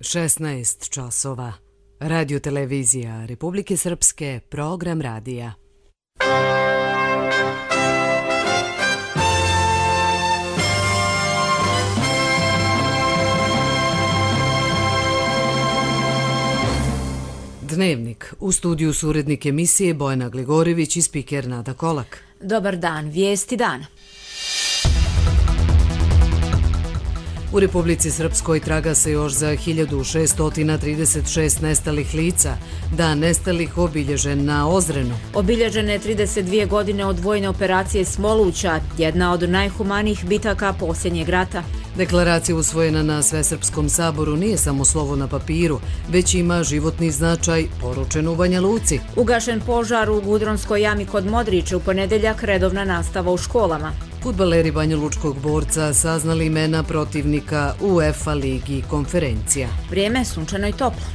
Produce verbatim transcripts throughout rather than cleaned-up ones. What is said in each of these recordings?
šesnaest časova. Radio televizija Republike Srpske, program radija. Dnevnik. U studiju su urednik emisije Bojana Gligorivić i spiker Nada Kolak. Dobar dan, vijesti dana. U Republici Srpskoj traga se još za hiljadu šeststo trideset šest nestalih lica. Dan nestalih obilježen na Ozrenu. Obilježene trideset dvije godine od vojne operacije Smoluća, jedna od najhumanijih bitaka posljednjeg rata. Deklaracija usvojena na Svesrpskom saboru nije samo slovo na papiru, već ima životni značaj, poručen u Banja Luci. Ugašen požar u Gudronskoj jami kod Modrića, u ponedeljak redovna nastava u školama. Fudbaleri banjalučkog borca saznali imena protivnika u UEFA ligi konferencija. Vrijeme sunčano i toplo.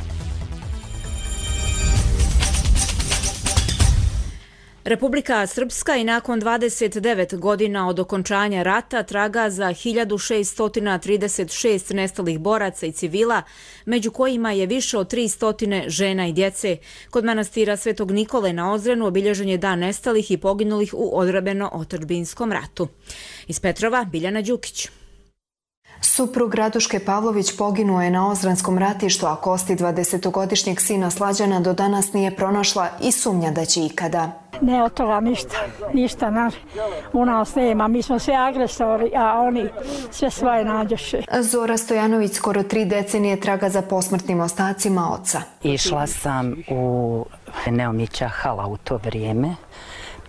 Republika Srpska i nakon dvadeset devet godina od okončanja rata traga za hiljadu šeststo trideset šest nestalih boraca i civila, među kojima je više od tristo žena i djece. Kod manastira Svetog Nikole na Ozrenu obilježen je dan nestalih i poginulih u odbrambeno-otadžbinskom ratu. Iz Petrova, Biljana Đukić. Suprug Raduške Pavlović poginuo je na Ozranskom ratištu, a kosti dvadesetogodišnjeg sina Slađana do danas nije pronašla i sumnja da će ikada. Ne od toga ništa, ništa naš, u nas nema. Mi smo sve agresori, a oni sve svoje nađoše. Zora Stojanović skoro tri decenije traga za posmrtnim ostacima oca. Išla sam u Neomića hala u to vrijeme.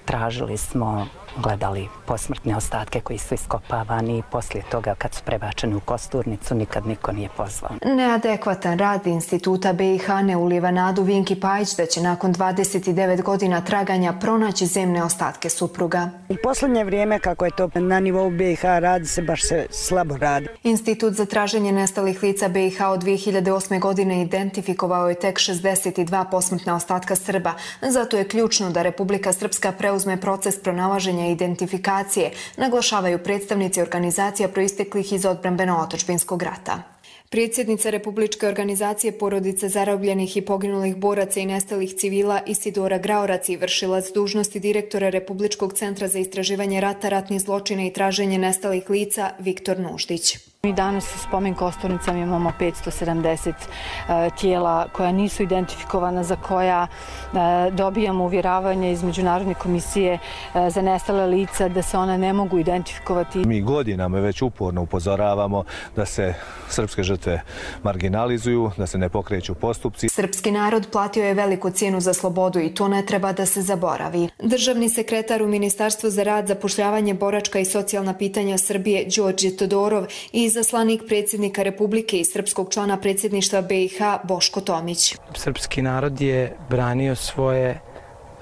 Tražili smo, gledali posmrtne ostatke koji su iskopavani i poslije toga kad su prebačeni u Kosturnicu nikad niko nije pozvao. Neadekvatan rad Instituta B i H ne ulijeva nadu Vinki Pajić da će nakon dvadeset devet godina traganja pronaći zemne ostatke supruga. U posljednje vrijeme kako je to na nivou B i H radi se baš se slabo radi. Institut za traženje nestalih lica B i H od dvije hiljade osme. godine identifikovao je tek šezdeset dva posmrtna ostatka Srba. Zato je ključno da Republika Srpska preuzme proces pronalaženja i identifikacije, naglašavaju predstavnici organizacija proisteklih iz odbrambeno-otadžbinskog rata. Predsjednica Republičke organizacije porodice zarobljenih i poginulih boraca i nestalih civila Isidora Graorac i vršilac dužnosti direktora Republičkog centra za istraživanje rata, ratnih zločina i traženje nestalih lica Viktor Nuždić. Mi danas u spomen Kosturnicama imamo petsto sedamdeset uh, tijela koja nisu identifikovana, za koja uh, dobijamo uvjeravanje iz Međunarodne komisije uh, za nestale lica da se ona ne mogu identifikovati. Mi godinama već uporno upozoravamo da se srpske žrtve marginalizuju, da se ne pokreću postupci. Srpski narod platio je veliku cijenu za slobodu i to ne treba da se zaboravi. Državni sekretar u Ministarstvu za rad, zapošljavanje, boračka i socijalna pitanja Srbije Đorđe Todorov i izaslanik predsjednika Republike i srpskog člana predsjedništva B i H Boško Tomić. Srpski narod je branio svoje,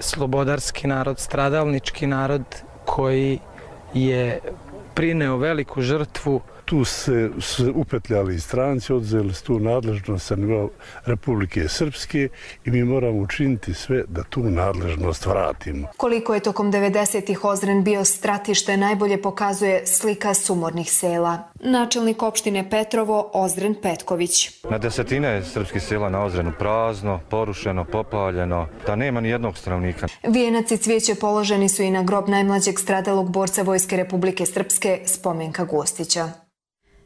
slobodarski narod, stradalnički narod koji je prineo veliku žrtvu. Tu se, se upetljali stranci, odzeli su tu nadležnost sa nivoa Republike Srpske i mi moramo učiniti sve da tu nadležnost vratimo. Koliko je tokom devedesetih Ozren bio stratište najbolje pokazuje slika sumornih sela. Načelnik opštine Petrovo Ozren Petković. Na desetine srpskih sela na Ozrenu prazno, porušeno, popaljeno, da nema ni jednog stanovnika. Vijenac i cvijeće položeni su i na grob najmlađeg stradalog borca Vojske Republike Srpske Spomenka Gostića.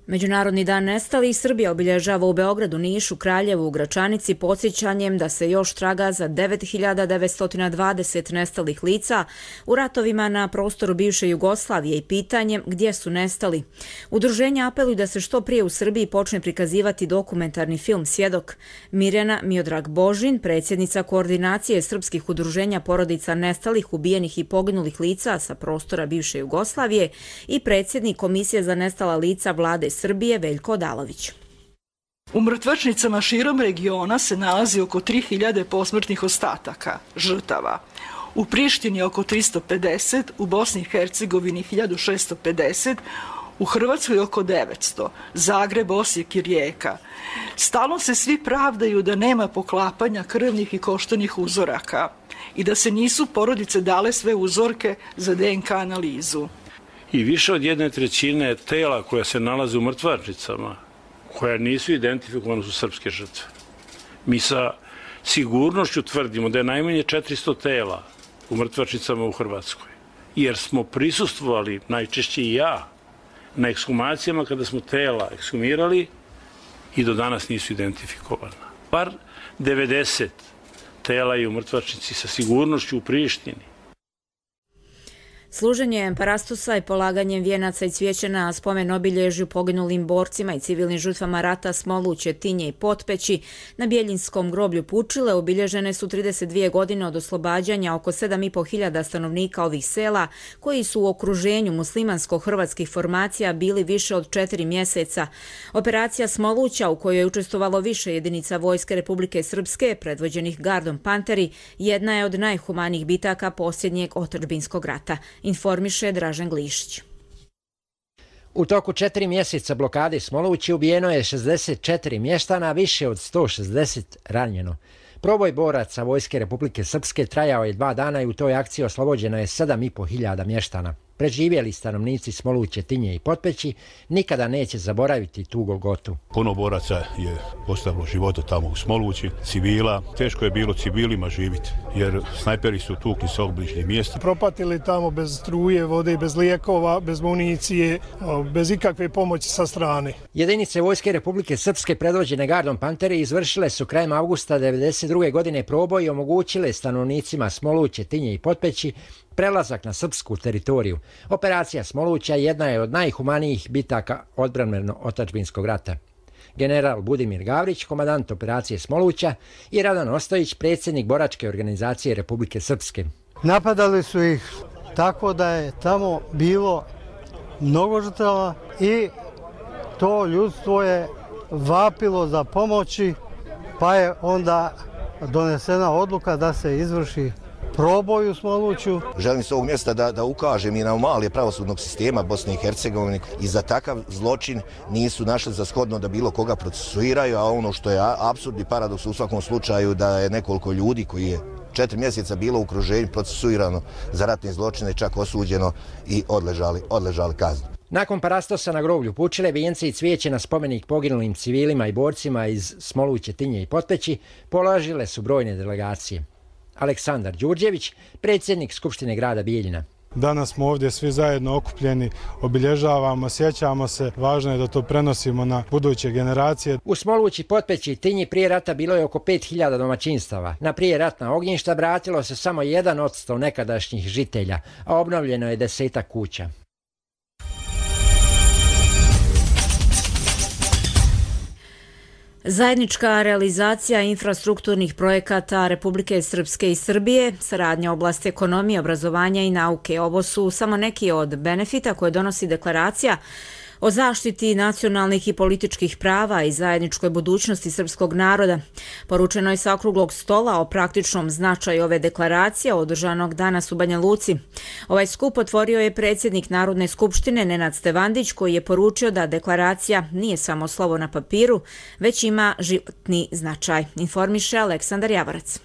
Međunarodni dan nestalih Srbija obilježava u Beogradu, Nišu, Kraljevu, u Gračanici podsjećanjem da se još traga za devet hiljada devetsto dvadeset nestalih lica u ratovima na prostoru bivše Jugoslavije i pitanjem gdje su nestali. Udruženja apeluju da se što prije u Srbiji počne prikazivati dokumentarni film Svjedok. Mirjana Miodrag Božin, predsjednica koordinacije srpskih udruženja porodica nestalih, ubijenih i poginulih lica sa prostora bivše Jugoslavije i predsjednik Komisije za nestala lica Vlade Srbije Veljko Odalović. U mrtvačnicama širom regiona se nalazi oko tri hiljade posmrtnih ostataka, žrtava. U Prištini oko tristo pedeset, u Bosni i Hercegovini hiljadu šessto pedeset, u Hrvatskoj oko devetsto, Zagreb, Osijek i Rijeka. Stalno se svi pravdaju da nema poklapanja krvnih i koštanih uzoraka i da se nisu porodice dale sve uzorke za D N K analizu. I više od jedne trećine tela koja se nalaze u mrtvačnicama, koja nisu identifikovane su srpske žrtve. Mi sa sigurnošću tvrdimo da je najmanje četiristo tela u mrtvačnicama u Hrvatskoj, jer smo prisustvovali, najčešće i ja, na ekshumacijama kada smo tela ekshumirali i do danas nisu identifikovana. Bar devedeset tela je u mrtvačnici sa sigurnošću u Prištini. Služenjem parastusa i polaganjem vijenaca i cvijeća na spomen obilježju poginulim borcima i civilnim žrtvama rata Smoluće, Tinje i Potpeći na Bjeljinskom groblju Pučile obilježene su trideset dvije godine od oslobađanja oko sedam i po hiljada stanovnika ovih sela koji su u okruženju muslimansko-hrvatskih formacija bili više od četiri mjeseca. Operacija Smoluća, u kojoj je učestvovalo više jedinica Vojske Republike Srpske predvođenih gardom Panteri, jedna je od najhumanijih bitaka posljednjeg otadžbinskog rata, informiše Dražen Glišić. U toku četiri mjeseca blokade Smolući ubijeno je šezdeset četiri mještana, više od sto šezdeset ranjeno. Proboj boraca Vojske Republike Srpske trajao je dva dana i u toj akciji oslobođeno je sedam i po hiljada mještana. Preživjeli stanovnici Smoluće, Tinje i Potpeći nikada neće zaboraviti tu golgotu. Puno boraca je ostavilo života tamo u Smolući, civila. Teško je bilo civilima živjeti, jer snajperi su tukli sa obližnjih mjesta. Propatili tamo bez struje, vode, bez lijekova, bez municije, bez ikakve pomoći sa strane. Jedinice Vojske Republike Srpske predvođene gardom Panteri izvršile su krajem avgusta devedeset druge godine proboj i omogućile stanovnicima Smoluće, Tinje i Potpeći prelazak na srpsku teritoriju. Operacija Smoluća jedna je od najhumanijih bitaka odbrambeno-otadžbinskog rata. General Budimir Gavrić, komandant operacije Smoluća, i Radan Ostojić, predsjednik boračke organizacije Republike Srpske. Napadali su ih tako da je tamo bilo mnogo žrtava i to ljudstvo je vapilo za pomoći, pa je onda donesena odluka da se izvrši proboj u Smoluću. Želim s ovog mjesta da, da ukažem i na anomalije pravosudnog sistema Bosne i Hercegovine i za takav zločin nisu našli za shodno da bilo koga procesuiraju, a ono što je apsurdni paradoks u svakom slučaju da je nekoliko ljudi koji je četiri mjeseca bilo u okruženju procesuirano za ratne zločine, čak osuđeno i odležali, odležali kaznu. Nakon parastosa na groblju Pučile, vijence i cvijeće na spomenik poginulim civilima i borcima iz Smoluće, Tinje i Potpeći položile su brojne delegacije. Aleksandar Đurđević, predsjednik Skupštine grada Bijeljina. Danas smo ovdje svi zajedno okupljeni, obilježavamo, sjećamo se, važno je da to prenosimo na buduće generacije. U Smolući, Potpeći i Tinji prije rata bilo je oko pet hiljada domaćinstava. Na prije ratna ognjišta vratilo se samo jedan odsto nekadašnjih žitelja, a obnovljeno je desetak kuća. Zajednička realizacija infrastrukturnih projekata Republike Srpske i Srbije, saradnja u oblasti ekonomije, obrazovanja i nauke. Ovo su samo neki od benefita koje donosi deklaracija o zaštiti nacionalnih i političkih prava i zajedničkoj budućnosti srpskog naroda. Poručeno je sa okruglog stola o praktičnom značaju ove deklaracije održanog danas u Banja Luci. Ovaj skup otvorio je predsjednik Narodne skupštine Nenad Stevandić, koji je poručio da deklaracija nije samo slovo na papiru, već ima životni značaj. Informiše Aleksandar Javorac.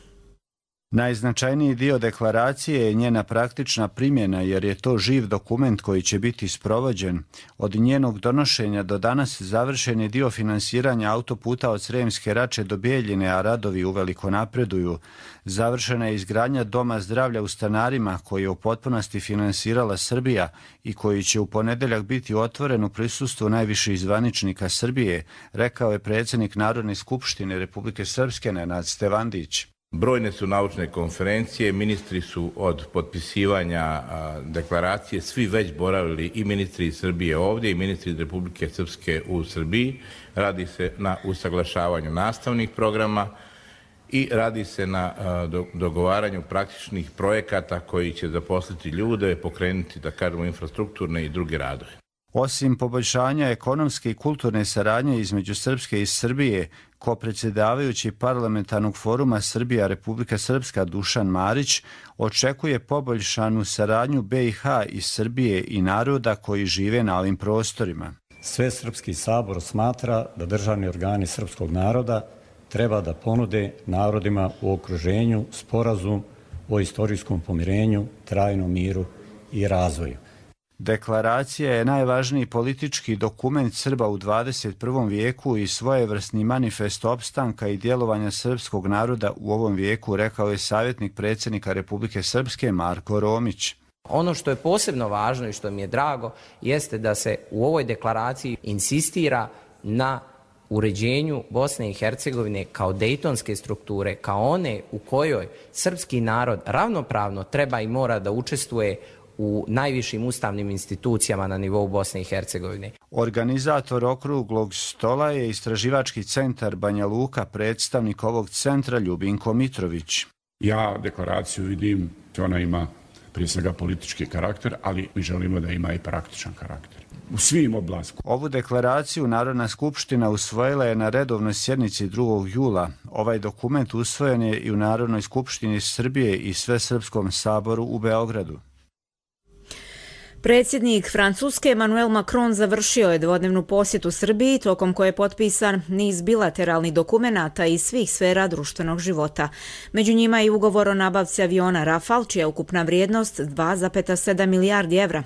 Najznačajniji dio deklaracije je njena praktična primjena, jer je to živ dokument koji će biti sprovođen. Od njenog donošenja do danas završen je dio finansiranja autoputa od Sremske Rače do Bijeljine, a radovi uveliko napreduju. Završena je izgradnja Doma zdravlja u Stanarima, koji je u potpunosti finansirala Srbija i koji će u ponedeljak biti otvoren u prisustvu najviših zvaničnika Srbije, rekao je predsjednik Narodne skupštine Republike Srpske Nenad Stevandić. Brojne su naučne konferencije, ministri su od potpisivanja a, deklaracije svi već boravili, i ministri iz Srbije ovdje i ministri iz Republike Srpske u Srbiji. Radi se na usaglašavanju nastavnih programa i radi se na a, do, dogovaranju praktičnih projekata koji će zaposliti ljude, pokrenuti, da kažemo, infrastrukturne i druge radove. Osim poboljšanja ekonomske i kulturne saradnje između Srpske i Srbije, kopredsjedavajući parlamentarnog foruma Srbija Republika Srpska Dušan Marić očekuje poboljšanu saradnju B i H i Srbije i naroda koji žive na ovim prostorima. Svesrpski sabor smatra da državni organi srpskog naroda treba da ponude narodima u okruženju sporazum o istorijskom pomirenju, trajnom miru i razvoju. Deklaracija je najvažniji politički dokument Srba u dvadeset prvom vijeku i svojevrsni manifest opstanka i djelovanja srpskog naroda u ovom vijeku, rekao je savjetnik predsjednika Republike Srpske Marko Romić. Ono što je posebno važno i što mi je drago jeste da se u ovoj deklaraciji insistira na uređenju Bosne i Hercegovine kao dejtonske strukture, kao one u kojoj srpski narod ravnopravno treba i mora da učestvuje u najvišim ustavnim institucijama na nivou Bosne i Hercegovine. Organizator okruglog stola je Istraživački centar Banja Luka, predstavnik ovog centra Ljubinko Mitrović. Ja deklaraciju vidim, ona ima prije svega politički karakter, ali mi želimo da ima i praktičan karakter. U svim oblastima. Ovu deklaraciju Narodna skupština usvojila je na redovnoj sjednici drugog jula. Ovaj dokument usvojen je i u Narodnoj skupštini Srbije i Svesrpskom saboru u Beogradu. Predsjednik Francuske Emmanuel Macron završio je dvodnevnu posjetu Srbiji, tokom koje je potpisan niz bilateralnih dokumenata iz svih sfera društvenog života. Među njima je i ugovor o nabavci aviona Rafale, čija je ukupna vrijednost dva zarez sedam milijardi evra.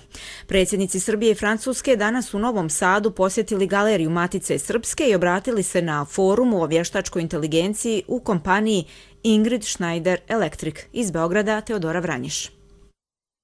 Predsjednici Srbije i Francuske danas u Novom Sadu posjetili galeriju Matice Srpske i obratili se na forumu o vještačkoj inteligenciji u kompaniji Ingrid Schneider Electric. Iz Beograda Teodora Vranjiš.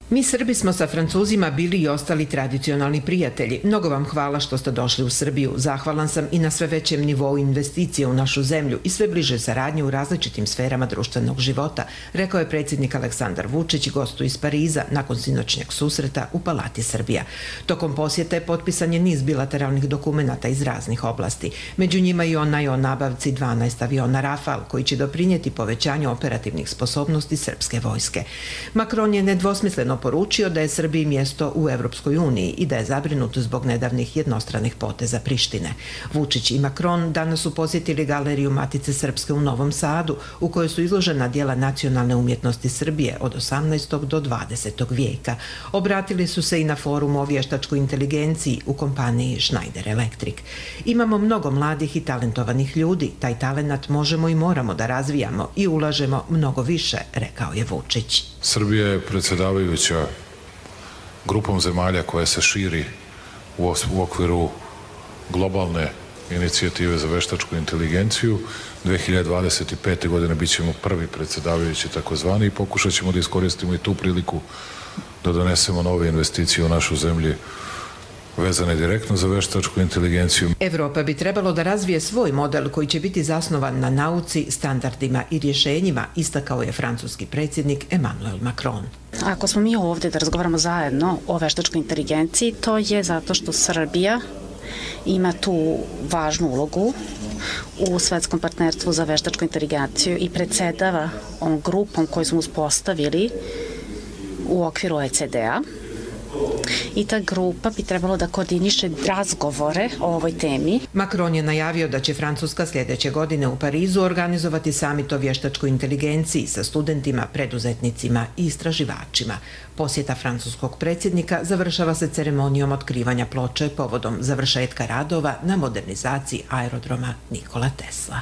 Mi Srbi smo sa Francuzima bili i ostali tradicionalni prijatelji. Mnogo vam hvala što ste došli u Srbiju. Zahvalan sam i na sve većem nivou investicije u našu zemlju i sve bliže saradnje u različitim sferama društvenog života, rekao je predsjednik Aleksandar Vučić gostu iz Pariza nakon sinoćnjeg susreta u Palati Srbija. Tokom posjete potpisan je niz bilateralnih dokumenata iz raznih oblasti. Među njima i onaj o nabavci dvanaest aviona Rafale, koji će doprinijeti povećanju operativnih sposobnosti srpske vojske. Macron je nedvosmisleno poručio da je Srbiji mjesto u Evropskoj uniji i da je zabrinut zbog nedavnih jednostranih poteza Prištine. Vučić i Macron danas su posjetili galeriju Matice Srpske u Novom Sadu, u kojoj su izložena dijela nacionalne umjetnosti Srbije od osamnaestog do dvadesetog vijeka. Obratili su se i na forumu o vještačkoj inteligenciji u kompaniji Schneider Electric. Imamo mnogo mladih i talentovanih ljudi. Taj talenat možemo i moramo da razvijamo i ulažemo mnogo više, rekao je Vučić. Srbija je predsjedavajuća grupom zemalja koja se širi u okviru globalne inicijative za veštačku inteligenciju. dve hiljade dvadeset pete. godine bit ćemo prvi predsjedavajući takozvani i pokušat ćemo da iskoristimo i tu priliku da donesemo nove investicije u našu zemlju vezane direktno za veštačku inteligenciju. Evropa bi trebalo da razvije svoj model koji će biti zasnovan na nauci, standardima i rješenjima, istakao je francuski predsjednik Emmanuel Macron. Ako smo mi ovdje da razgovaramo zajedno o veštačkoj inteligenciji, to je zato što Srbija ima tu važnu ulogu u svetskom partnerstvu za veštačku inteligenciju i predsjedava ovom grupom koju smo uspostavili u okviru O E C D-a. I ta grupa bi trebalo da koordiniše razgovore o ovoj temi. Macron je najavio da će Francuska sljedeće godine u Parizu organizovati samit o vještačkoj inteligenciji sa studentima, preduzetnicima i istraživačima. Posjeta francuskog predsjednika završava se ceremonijom otkrivanja ploče povodom završetka radova na modernizaciji aerodroma Nikola Tesla.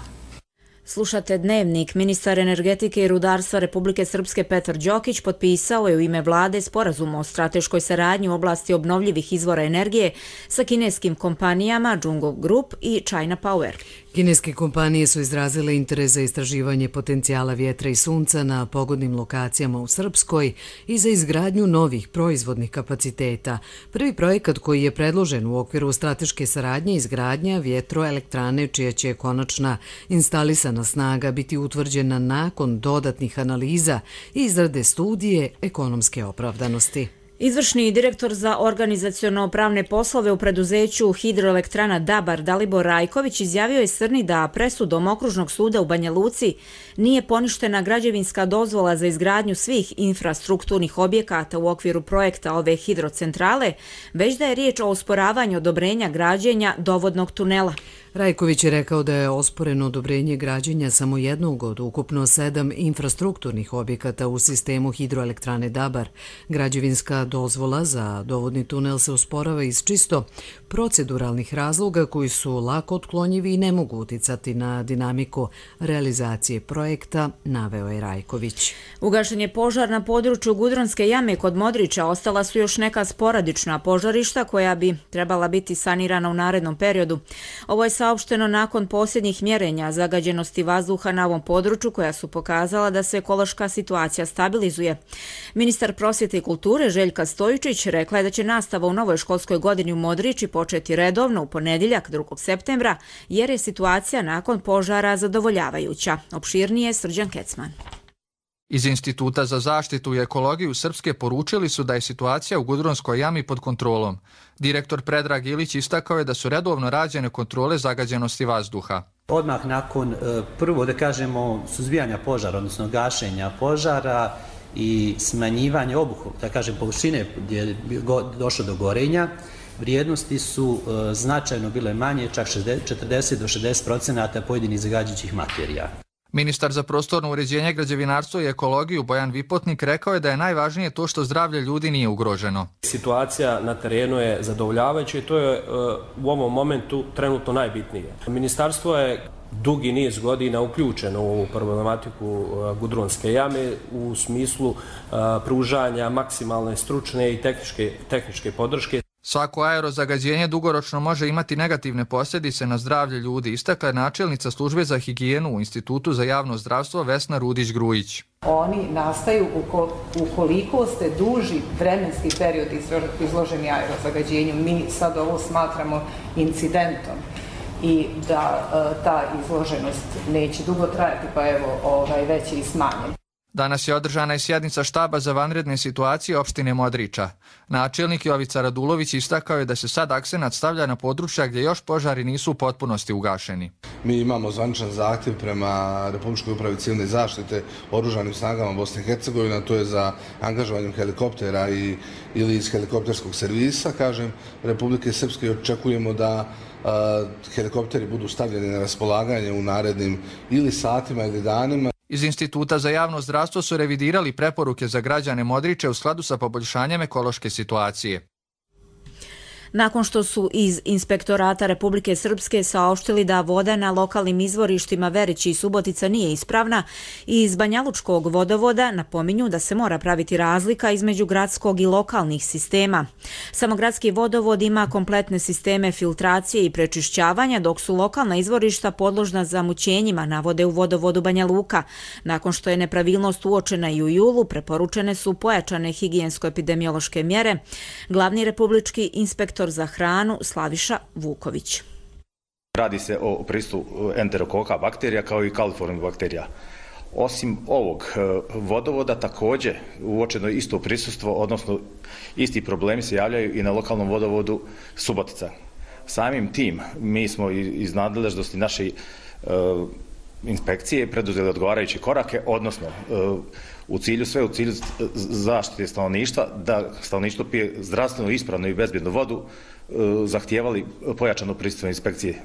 Slušate Dnevnik. Ministar energetike i rudarstva Republike Srpske Petar Đokić potpisao je u ime vlade sporazum o strateškoj saradnji u oblasti obnovljivih izvora energije sa kineskim kompanijama Jungho Group i China Power. Kineske kompanije su izrazile interes za istraživanje potencijala vjetra i sunca na pogodnim lokacijama u Srpskoj i za izgradnju novih proizvodnih kapaciteta. Prvi projekat koji je predložen u okviru strateške saradnje izgradnja vjetroelektrane čija će konačna instalisana snaga biti utvrđena nakon dodatnih analiza i izrade studije ekonomske opravdanosti. Izvršni direktor za organizaciono-pravne poslove u preduzeću Hidroelektrana Dabar Dalibor Rajković izjavio je Srni da presudom Okružnog suda u Banja Luci nije poništena građevinska dozvola za izgradnju svih infrastrukturnih objekata u okviru projekta ove hidrocentrale, već da je riječ o osporavanju odobrenja građenja dovodnog tunela. Rajković je rekao da je osporeno odobrenje građenja samo jednog od ukupno sedam infrastrukturnih objekata u sistemu hidroelektrane Dabar. Građevinska dozvola za dovodni tunel se usporava iz čisto proceduralnih razloga koji su lako otklonjivi i ne mogu uticati na dinamiku realizacije projekta, naveo je Rajković. Ugašen je požar na području Gudronske jame kod Modrića. Ostala su još neka sporadična požarišta koja bi trebala biti sanirana u narednom periodu. Ovo je saopšteno nakon posljednjih mjerenja zagađenosti vazduha na ovom području koja su pokazala da se ekološka situacija stabilizuje. Ministar prosvjete i kulture Željka Stojičić rekla je da će nastava u novoj školskoj godini u Modrići početi redovno u ponedjeljak drugog septembra jer je situacija nakon požara zadovoljavajuća. Opširnije Srđan Kecman. Iz Instituta za zaštitu i ekologiju Srpske poručili su da je situacija u Gudronskoj jami pod kontrolom. Direktor Predrag Ilić istakao je da su redovno rađene kontrole zagađenosti vazduha. Odmah nakon prvo da kažemo suzbijanja požara, odnosno gašenja požara i smanjivanja obuhvata, da kažem površine gdje je došlo do gorenja, vrijednosti su značajno bile manje, čak četrdeset do šezdeset procenata pojedinih zagađujućih materija. Ministar za prostorno uređenje, građevinarstvo i ekologiju Bojan Vipotnik rekao je da je najvažnije to što zdravlje ljudi nije ugroženo. Situacija na terenu je zadovoljavajuća i to je u ovom momentu trenutno najbitnije. Ministarstvo je dugi niz godina uključeno u ovu problematiku Gudronske jame u smislu pružanja maksimalne stručne i tehničke, tehničke podrške. Svako aerozagađenje dugoročno može imati negativne posljedice na zdravlje ljudi, istakla je načelnica službe za higijenu u Institutu za javno zdravstvo Vesna Rudić-Grujić. Oni nastaju ukoliko ste duži vremenski period izloženi aerozagađenju. Mi sad ovo smatramo incidentom i da ta izloženost neće dugo trajati, pa evo ovaj, već je i smanjen. Danas je održana i sjednica štaba za vanredne situacije opštine Modrića. Načelnik Jovica Radulović istakao je da se sad akcenat stavlja na područja gdje još požari nisu u potpunosti ugašeni. Mi imamo zvaničan zahtjev prema Republičkoj upravi civilne zaštite oružanim snagama Bosne i Hercegovine, to je za angažovanjem helikoptera i, ili iz helikopterskog servisa, kažem, Republike Srpske. Očekujemo da a, helikopteri budu stavljeni na raspolaganje u narednim ili satima ili danima. Iz Instituta za javno zdravstvo su revidirali preporuke za građane Modrića u skladu sa poboljšanjem ekološke situacije. Nakon što su iz Inspektorata Republike Srpske saopštili da voda na lokalnim izvorištima Verići i Subotica nije ispravna, i iz Banjalučkog vodovoda napominju da se mora praviti razlika između gradskog i lokalnih sistema. Samo gradski vodovod ima kompletne sisteme filtracije i prečišćavanja, dok su lokalna izvorišta podložna zamućenjima, navode u vodovodu Banja Luka. Nakon što je nepravilnost uočena i u julu, preporučene su pojačane higijensko-epidemiološke mjere. Glavni republički inspektor za hranu Slaviša Vuković. Radi se o prisutu enterokoka bakterija kao i kaliformnih bakterija. Osim ovog vodovoda također uočeno isto prisustvo, odnosno isti problemi se javljaju i na lokalnom vodovodu Subotica. Samim tim mi smo iz nadležnosti naše uh, inspekcije preduzeli odgovarajuće korake, odnosno uh, u cilju sve u cilju zaštite stanovništva, da stanovništvo pije zdravstveno, ispravnu i bezbjednu vodu, zahtijevali pojačano prisustvo inspekcije.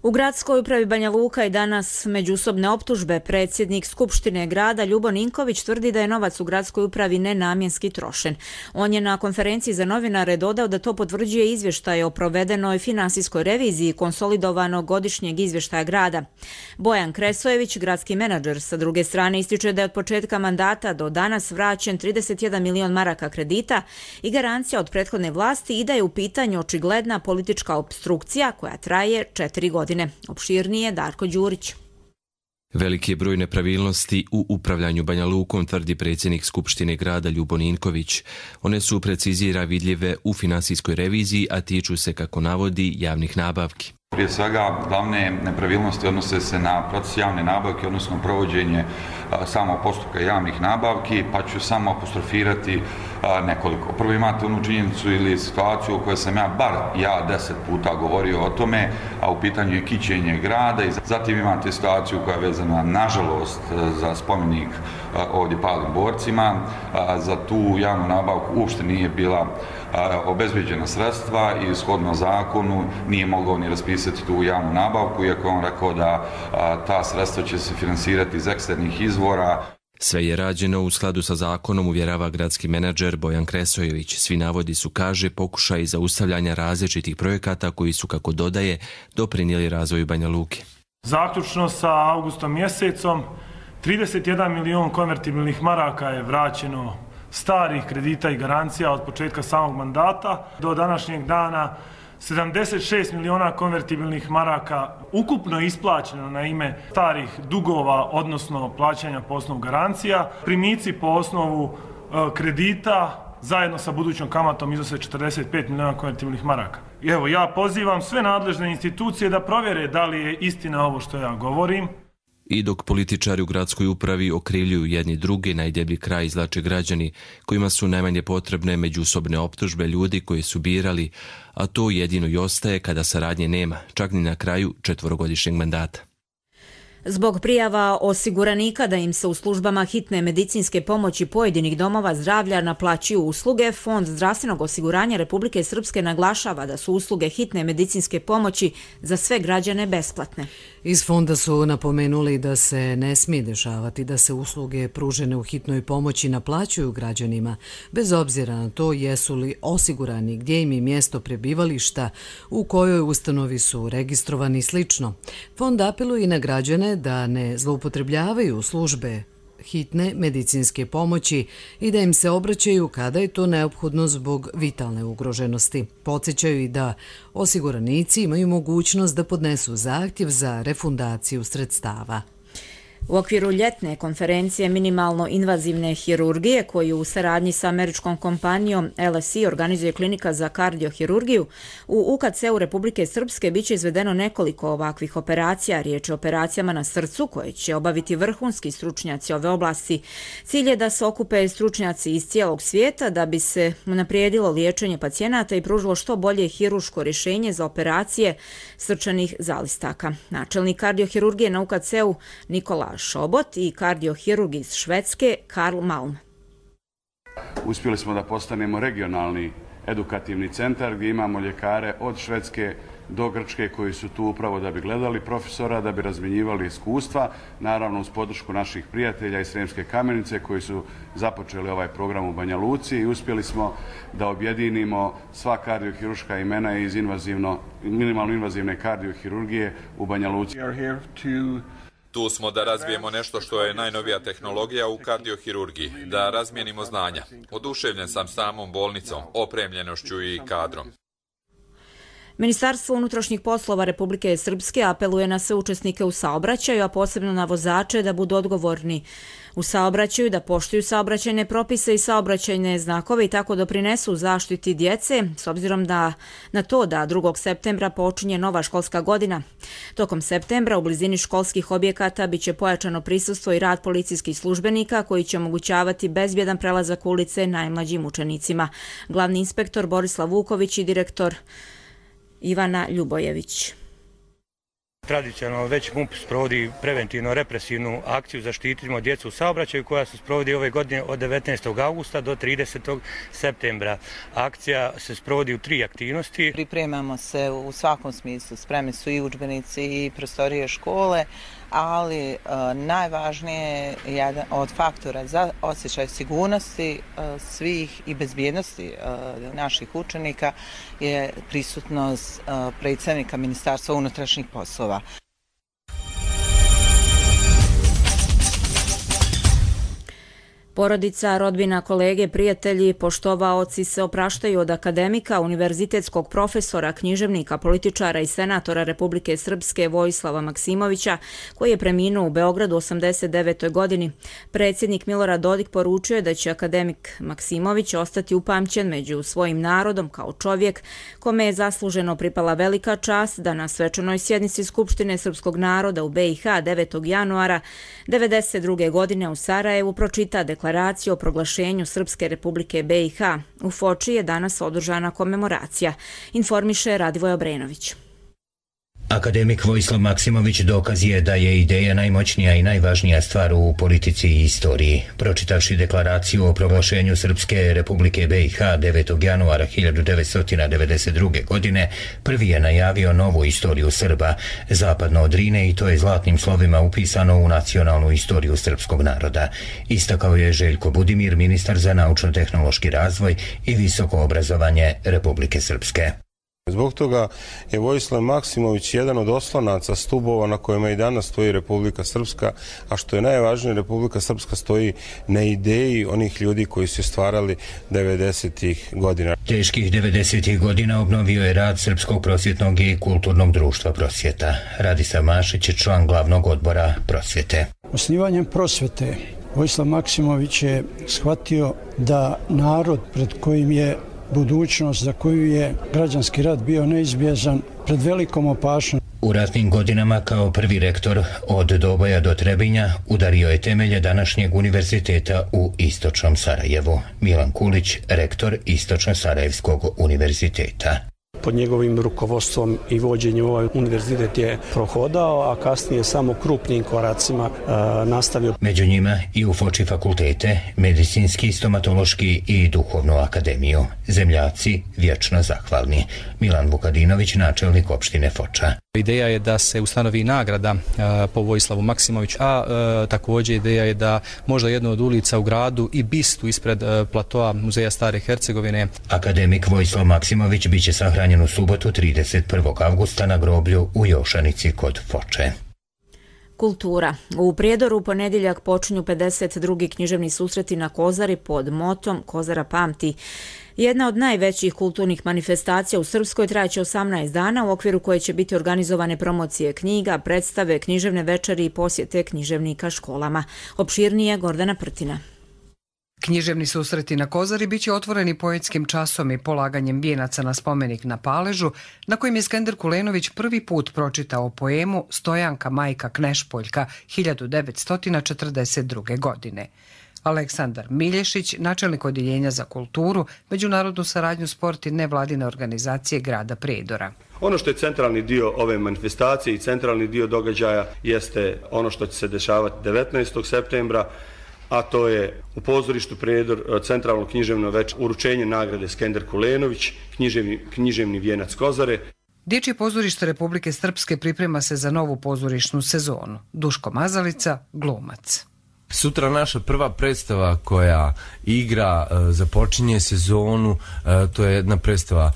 U gradskoj upravi Banja Luka i danas međusobne optužbe. Predsjednik Skupštine grada Ljubo Ninković tvrdi da je novac u gradskoj upravi nenamjenski trošen. On je na konferenciji za novinare dodao da to potvrđuje izvještaj o provedenoj finansijskoj reviziji konsolidovanog godišnjeg izvještaja grada. Bojan Kresojević, gradski menadžer, sa druge strane ističe da je od početka mandata do danas vraćen trideset jedan milion maraka kredita i garancija od prethodne vlasti i da je u pitanju očigledna politička opstrukcija koja traje četiri godine. Opširnije Darko Đurić. Veliki je broj nepravilnosti u upravljanju Banja Lukom, tvrdi predsjednik Skupštine grada Ljubo Ninković. One su precizira vidljive u finansijskoj reviziji, a tiču se, kako navodi, javnih nabavki. Prije svega, glavne nepravilnosti odnose se na proces javne nabavke, odnosno provođenje samog postupka javnih nabavki, pa ću samo apostrofirati nekoliko. Prvo imate onu činjenicu ili situaciju o kojoj sam ja, bar ja, deset puta govorio o tome, a u pitanju je kićenje grada, i zatim imate situaciju koja je vezana, nažalost, za spomenik ovdje palim borcima. Za tu javnu nabavku uopšte nije bila obezbeđena sredstva i shodno zakonu nije mogao ni raspisati tu javnu nabavku, iako on rekao da ta sredstva će se finansirati iz eksternih izvora. Sve je rađeno u skladu sa zakonom, uvjerava gradski menadžer Bojan Kresojević. Svi navodi su, kaže, pokušaj zaustavljanja različitih projekata koji su, kako dodaje, doprinijeli razvoju Banja Luke. Zaključno sa avgustom mjesecom, trideset jedan milion konvertibilnih maraka je vraćeno starih kredita i garancija od početka samog mandata do današnjeg dana. sedamdeset šest miliona konvertibilnih maraka ukupno isplaćeno na ime starih dugova, odnosno plaćanja po osnovu garancija. Primici po osnovu kredita zajedno sa budućom kamatom iznose četrdeset pet miliona konvertibilnih maraka. I evo, ja pozivam sve nadležne institucije da provjere da li je istina ovo što ja govorim. I dok političari u gradskoj upravi okrivljuju jedni druge, najdeblji kraj izvlače građani kojima su najmanje potrebne međusobne optužbe ljudi koji su birali, a to jedino i ostaje kada saradnje nema, čak ni na kraju četvorogodišnjeg mandata. Zbog prijava osiguranika da im se u službama hitne medicinske pomoći pojedinih domova zdravlja naplaćuju usluge, Fond zdravstvenog osiguranja Republike Srpske naglašava da su usluge hitne medicinske pomoći za sve građane besplatne. Iz fonda su napomenuli da se ne smije dešavati da se usluge pružene u hitnoj pomoći naplaćuju građanima, bez obzira na to jesu li osigurani, gdje im je mjesto prebivališta, u kojoj ustanovi su registrovani i slično. Fond apeluje i na građane da ne zloupotrebljavaju službe hitne medicinske pomoći i da im se obraćaju kada je to neophodno zbog vitalne ugroženosti. Podsjećaju i da osiguranici imaju mogućnost da podnesu zahtjev za refundaciju sredstava. U okviru ljetne konferencije minimalno invazivne hirurgije koju u saradnji sa američkom kompanijom L S I organizuje klinika za kardiohirurgiju, u U K C-u Republike Srpske biće izvedeno nekoliko ovakvih operacija. Riječ je o operacijama na srcu koje će obaviti vrhunski stručnjaci ove oblasti. Cilj je da se okupe stručnjaci iz cijelog svijeta da bi se unaprijedilo liječenje pacijenata i pružilo što bolje hiruško rješenje za operacije srčanih zalistaka. Načelnik kardiohirurgije na U K C-u Nikola Šobot i kardiohirurg iz Švedske Karl Malm. Uspjeli smo da postanemo regionalni edukativni centar gdje imamo ljekare od Švedske do Grčke koji su tu upravo da bi gledali profesora, da bi razmjenjivali iskustva, naravno uz podršku naših prijatelja iz Sremske Kamenice koji su započeli ovaj program u Banja Luci i uspjeli smo da objedinimo sva kardiohiruška imena iz invazivno, minimalno invazivne kardiohirurgije u Banja Luci. Tu smo da razvijemo nešto što je najnovija tehnologija u kardiohirurgiji, da razmijenimo znanja. Oduševljen sam samom bolnicom, opremljenošću i kadrom. Ministarstvo unutrašnjih poslova Republike Srpske apeluje na sve učesnike u saobraćaju, a posebno na vozače da budu odgovorni u saobraćaju, da poštuju saobraćajne propise i saobraćajne znakove i tako doprinesu zaštiti djece, s obzirom da na to da drugog septembra počinje nova školska godina. Tokom septembra u blizini školskih objekata biće pojačano prisustvo i rad policijskih službenika koji će omogućavati bezbjedan prelazak ulice najmlađim učenicima. Glavni inspektor Borislav Vuković i direktor Ivana Ljubojević. Tradicionalno već M U P sprovodi preventivno-represivnu akciju Zaštitimo djecu u saobraćaju koja se sprovodi ove godine od devetnaestog augusta do tridesetog septembra. Akcija se sprovodi u tri aktivnosti. Pripremamo se u svakom smislu, spremni su i udžbenici i prostorije škole, ali uh, najvažnije jedan od faktora za osjećaj sigurnosti uh, svih i bezbjednosti uh, naših učenika je prisutnost uh, predsjednika Ministarstva unutrašnjih poslova. Porodica, rodbina, kolege, prijatelji, poštovaoci se opraštaju od akademika, univerzitetskog profesora, književnika, političara i senatora Republike Srpske Vojislava Maksimovića, koji je preminuo u Beogradu u osamdeset devetoj godini. Predsjednik Milorad Dodik poručio je da će akademik Maksimović ostati upamćen među svojim narodom kao čovjek kome je zasluženo pripala velika čast da na svečanoj sjednici Skupštine srpskog naroda u B i H devetog januara devedeset druge godine u Sarajevu pročita deklaraciju Deklaraciju o proglašenju Srpske republike B i H. U Foči je danas održana komemoracija, informiše Radivoj Obrenović. Akademik Vojislav Maksimović dokaz je da je ideja najmoćnija i najvažnija stvar u politici i istoriji. Pročitavši deklaraciju o proglašenju Srpske Republike B i H devetog januara hiljadu devetsto devedeset druge. godine, prvi je najavio novu istoriju Srba, zapadno od Drine, i to je zlatnim slovima upisano u nacionalnu istoriju srpskog naroda. Istakao je Željko Budimir, ministar za naučno-tehnološki razvoj i visoko obrazovanje Republike Srpske. Zbog toga je Vojislav Maksimović jedan od oslonaca, stubova na kojima i danas stoji Republika Srpska, a što je najvažnije, Republika Srpska stoji na ideji onih ljudi koji su stvarali devedesetih godina. Teških devedesetih godina obnovio je rad Srpskog prosvjetnog i kulturnog društva Prosvjeta. Radislav Mašić je član glavnog odbora Prosvjete. Osnivanjem Prosvjete Vojislav Maksimović je shvatio da narod pred kojim je budućnost, za koju je građanski rat bio neizbježan, pred velikom opašnošću. U ratnim godinama kao prvi rektor od Doboja do Trebinja udario je temelje današnjeg univerziteta u Istočnom Sarajevu. Milan Kulić, rektor Istočno-Sarajevskog univerziteta. Pod njegovim rukovodstvom i vođenjem ovaj univerzitet je prohodao, a kasnije samo krupnim koracima e, nastavio. Među njima i u Foči fakultete, medicinski, stomatološki i duhovnu akademiju. Zemljaci vječno zahvalni. Milan Vukadinović, načelnik opštine Foča. Ideja je da se ustanovi nagrada e, po Vojislavu Maksimoviću, a e, također ideja je da možda jedna od ulica u gradu i bistu ispred e, platoa Muzeja Stare Hercegovine. Akademik Vojislav Maksimović biće sahranjen u subotu trideset prvog avgusta na groblju u Jošanici kod Foče. Kultura. U Prijedoru u ponedjeljak počinju pedeset drugi književni susreti na Kozari pod motom Kozara pamti. Jedna od najvećih kulturnih manifestacija u Srpskoj trajaće osamnaest dana, u okviru koje će biti organizovane promocije knjiga, predstave, književne večeri i posjete književnika školama. Opširnije Gordana Prtina. Književni susreti na Kozari biće otvoreni poetskim časom i polaganjem vijenaca na spomenik na Paležu, na kojem je Skender Kulenović prvi put pročitao poemu Stojanka majka Knešpoljka hiljadu devetsto četrdeset druge. godine. Aleksandar Milješić, načelnik odjeljenja za kulturu, međunarodnu saradnju, sport i nevladine organizacije grada Prijedora. Ono što je centralni dio ove manifestacije i centralni dio događaja jeste ono što će se dešavati devetnaestog septembra, a to je u pozorištu Prijedor centralno književno večer, uručenje nagrade Skender Kulenović, književni, književni vijenac Kozare. Dječje pozorište Republike Srpske priprema se za novu pozorišnu sezonu. Duško Mazalica, glumac. Sutra naša prva predstava koja igra, započinje sezonu, to je jedna predstava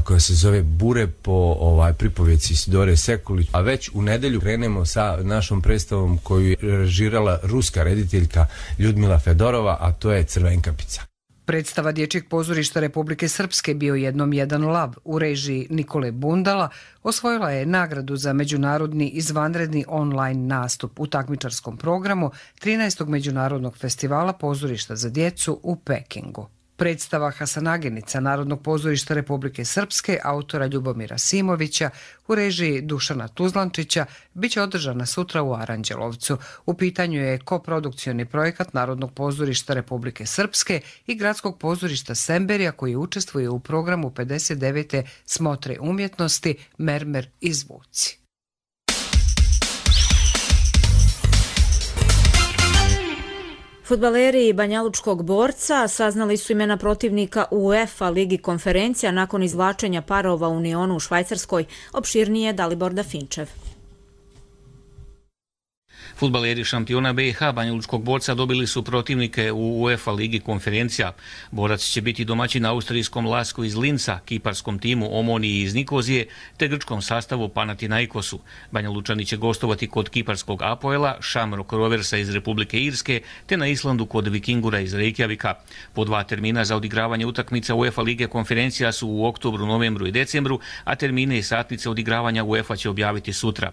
koja se zove Bure po ovaj, pripovjeci Isidore Sekulić, a već u nedelju krenemo sa našom predstavom koju je režirala ruska rediteljka Ljudmila Fedorova, a to je Crvenkapica. Predstava Dječjeg pozorišta Republike Srpske Bio jednom jedan lav u režiji Nikole Bundala osvojila je nagradu za međunarodni izvanredni online nastup u takmičarskom programu trinaestog međunarodnog festivala pozorišta za djecu u Pekingu. Predstava Hasanagenica Narodnog pozorišta Republike Srpske autora Ljubomira Simovića u režiji Dušana Tuzlančića biće održana sutra u Aranđelovcu. U pitanju je koprodukcioni projekat Narodnog pozorišta Republike Srpske i Gradskog pozorišta Semberija koji učestvuje u programu pedeset devete Smotre umjetnosti Mermer i zvuci. Fudbaleri Banjalučkog Borca saznali su imena protivnika u UEFA Ligi konferencija nakon izvlačenja parova u Unionu u Švajcarskoj. Opširnije Dalibor Dafinčev. Fudbaleri šampiona B i H Banjalučkog Borca dobili su protivnike u UEFA Ligi konferencija. Borac će biti domaćin austrijskom Lasku iz Linca, kiparskom timu Omoniji iz Nikozije te grčkom sastavu Panathinaikosu. Banjalučani će gostovati kod kiparskog Apoela, Shamrock Roversa iz Republike Irske te na Islandu kod Vikingura iz Reykjavika. Po dva termina za odigravanje utakmica UEFA Lige konferencija su u oktobru, novembru i decembru, a termine i satnice odigravanja UEFA će objaviti sutra.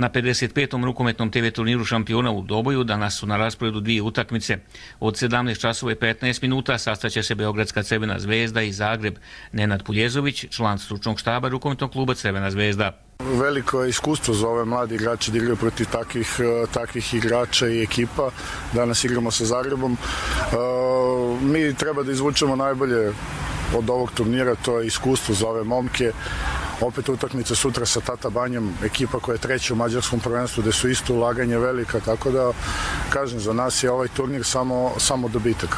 Na pedeset petom rukometnom te ve turniru šampiona u Doboju danas su na rasporedu dvije utakmice. Od sedamnaest časova i petnaest minuta sastaće se Beogradska Crvena zvezda i Zagreb. Nenad Puljezović, član stručnog štaba rukometnog kluba Crvena zvezda. Veliko je iskustvo za ove mladi igrače da igraju protiv takvih, takvih igrača i ekipa. Danas igramo sa Zagrebom. Mi treba da izvučemo najbolje od ovog turnira, to je iskustvo za ove momke. opet utakmice sutra sa Tata Banjom, ekipa koja je treća u mađarskom prvenstvu, gde su isto ulaganje velika, tako da, kažem, za nas je ovaj turnir samo, samo dobitak.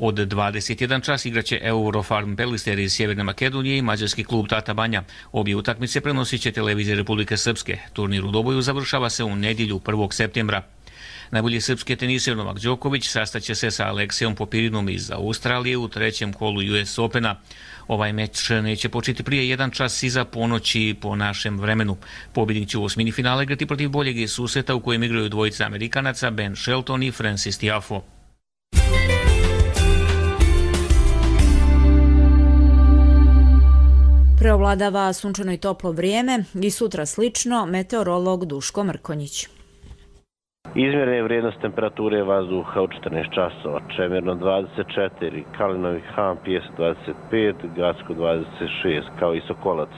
Od dvadeset jedan čas igraće Eurofarm Pelister iz Sjeverne Makedonije i mađarski klub Tata Banja. Obje utakmice prenosit će televizija Republike Srpske. Turnir u Doboju završava se u nedjelju prvog septembra. Najbolji srpski teniser Novak Đoković sastaće se sa Aleksejom Popirinom iz Australije u trećem kolu U S Opena. Ovaj meč neće početi prije jedan čas iza ponoći po našem vremenu. Pobjednik će u osmini finale igrati protiv boljeg susreta u kojem igraju dvojica Amerikanaca Ben Shelton i Francis Tiafoe. Preovladava sunčano i toplo vrijeme i sutra slično, meteorolog Duško Mrkonjić. Izmjerene vrijednost temperature vazduha u četrnaest časova, Čemerno dvadeset četiri, Kalinovi Han, Pijesak dvadeset pet, Gacko dvadeset šest, kao i Sokolac,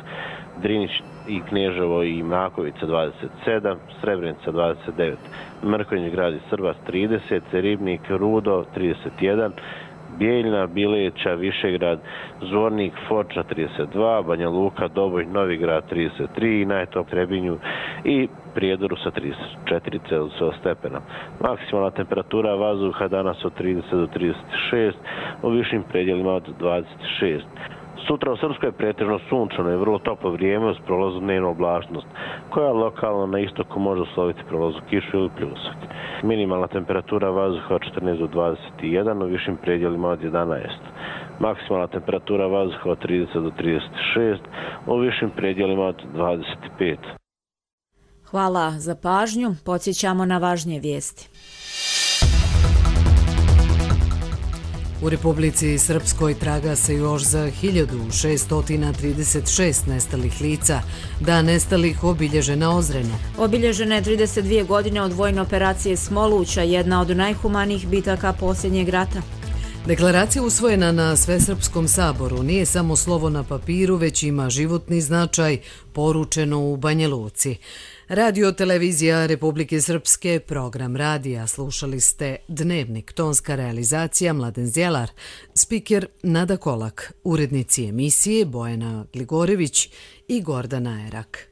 Drinić i Kneževo i Makovica dvadeset sedam, Srebrenica dvadeset devet, Mrkonjić grad i Srbas trideset, Ribnik, Rudo trideset jedan, Bijeljna, Bileća, Višegrad, Zvornik, Foča trideset dva, Banja Luka, Doboj, Novigrad trideset tri, najtop Trebinju i Prijedoru sa trideset četiri Celzijusova stepena. Maksimalna temperatura vazduha danas od trideset do trideset šest, u višim predjelima od dvadeset šest. Sutra u Srpskoj je pretežno sunčano i vrlo toplo vrijeme uz prolaznu dnevnu oblačnost, koja lokalno na istoku može usloviti prolaznu kišu ili pljusak. Minimalna temperatura vazduha od četrnaest do dvadeset jedan, u višim predjelima od jedanaest. Maksimalna temperatura vazduha od trideset do trideset šest, u višim predjelima od dvadeset pet. Hvala za pažnju. Podsjećamo na važnije vijesti. U Republici Srpskoj traga se još za hiljadu šesto trideset šest nestalih lica. Dan nestalih obilježen na Ozrenu. Obilježene je trideset dvije godine od vojne operacije Smoluća, jedna od najhumanijih bitaka posljednjeg rata. Deklaracija usvojena na Svesrpskom saboru nije samo slovo na papiru, već ima životni značaj, poručeno u Banja Luci. Radio televizija Republike Srpske, program radija, slušali ste Dnevnik, tonska realizacija Mladen Zjelar, spiker Nada Kolak, urednici emisije Bojana Gligorević i Gordana Erak.